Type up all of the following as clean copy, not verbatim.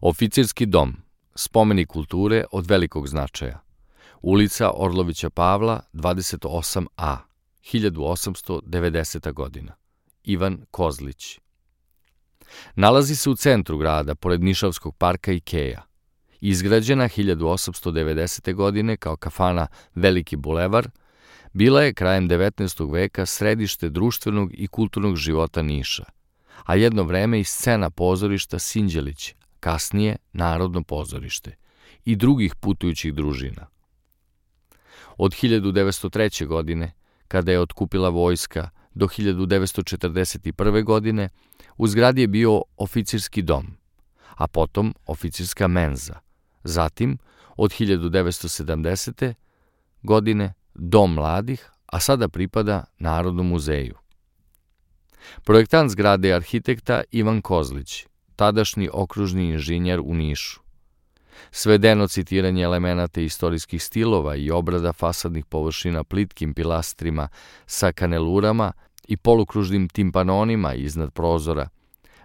Oficirski dom, spomenik kulture od velikog značaja. Ulica Orlovića Pavla, 28A, 1890. godina. Ivan Kozlić. Nalazi se u centru grada, pored Nišavskog parka Ikeja. Izgrađena 1890. godine kao kafana Veliki bulevar, bila je krajem 19. veka središte društvenog i kulturnog života Niša, a jedno vreme i scena pozorišta Sinđelić, kasnije Narodno pozorište, i drugih putujućih družina. Od 1903. godine, kada je otkupila vojska, do 1941. godine, u zgradi je bio oficirski dom, a potom oficirska menza, zatim od 1970. godine Dom mladih, a sada pripada Narodnom muzeju. Projektant zgrade je arhitekta Ivan Kozlić, tadašnji okružni inženjer u Nišu. Svedeno citiranje elemenata istorijskih stilova i obrada fasadnih površina plitkim pilastrima sa kanelurama i polukružnim timpanonima iznad prozora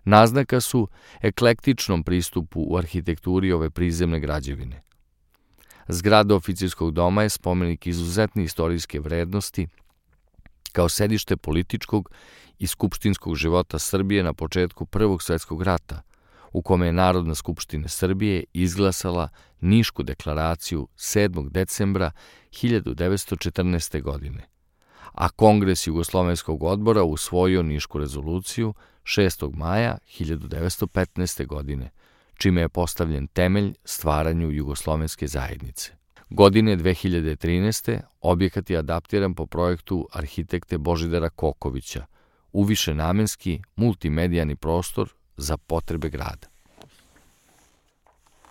naznaka su eklektičnom pristupu u arhitekturi ove prizemne građevine. Zgrada oficirskog doma je spomenik izuzetne istorijske vrednosti kao sedište političkog i skupštinskog života Srbije na početku Prvog svetskog rata, u kome je Narodna skupština Srbije izglasala Nišku deklaraciju 7. decembra 1914. godine, a Kongres Jugoslovenskog odbora usvojio Nišku rezoluciju 6. maja 1915. godine, čime je postavljen temelj stvaranju Jugoslovenske zajednice. Godine 2013. objekat je adaptiran po projektu arhitekte Božidara Kokovića u višenamenski multimedijani prostor za potrebe grada.